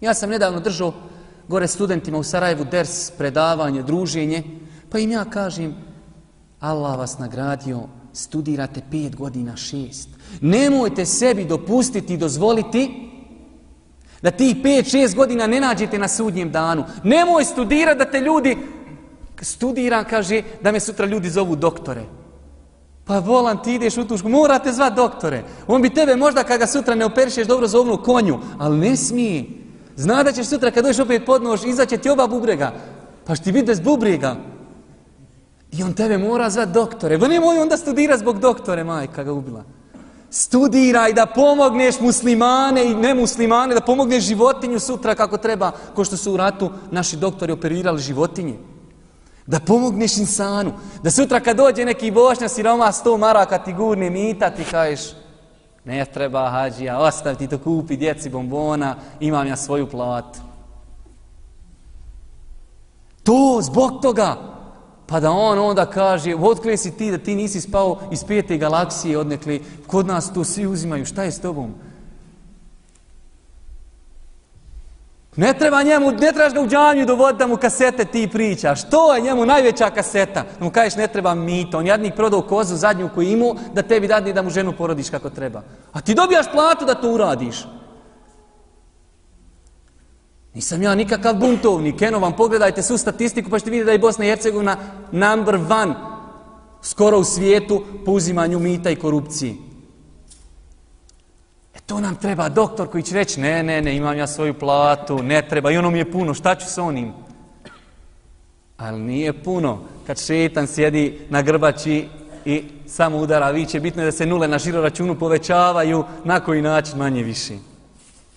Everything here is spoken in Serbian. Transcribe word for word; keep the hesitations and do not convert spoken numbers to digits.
Ja sam nedavno držao gore studentima u Sarajevu ders, predavanje, druženje, pa im ja kažem, Allah vas nagradio, studirate pet godina, šest. Nemojte sebi dopustiti i dozvoliti da ti pet, šest godina ne nađete na sudnjem danu. Nemoj studirati da te ljudi, studiram, kaže, da me sutra ljudi zovu doktore. Pa volan, ti ideš u tušku, morate zvat doktore. On bi tebe možda kada sutra ne operišeš dobro zovnu konju, ali ne smije. Zna da ćeš sutra kad dođeš opet pod nož, izaće ti oba bubrega. Pa što ti vidi bez bubrega. I on tebe mora zvat doktore. Pa nemoj onda studira zbog doktore, majka ga ubila. Studiraj da pomogneš muslimane i nemuslimane, da pomogneš životinju sutra kako treba, ko što su u ratu naši doktori operirali životinje. Da pomogneš insanu. Da sutra kad dođe neki bošnja siroma sto maraka ti gurne mita, ti kažeš ne treba hađija, ostav ti to, kupi djeci bombona, imam ja svoju platu. To zbog toga. Pa da on onda kaže, otkle si ti da ti nisi spao iz pete galaksije odnekli, kod nas to svi uzimaju, šta je s tobom? Ne treba njemu, ne trebaš ga u džamiju dovoditi da mu kasete ti pričaš. To je njemu najveća kaseta. Da mu kažeš ne treba mito. On jadnik prodao kozu zadnju koju imao da tebi dadne da mu ženu porodiš kako treba. A ti dobijaš platu da to uradiš. Nisam ja nikakav buntovnik. Eno vam pogledajte svu statistiku pa ćete vidjeti da je Bosna i Hercegovina number one skoro u svijetu po uzimanju mita i korupciji. E to nam treba doktor koji će reći ne, ne, ne, imam ja svoju platu, ne treba i ono mi je puno, šta ću s onim? Ali nije puno kad šetan sjedi na grbači i samo udara viće. Bitno je da se nule na žiro računu povećavaju na koji način manje više.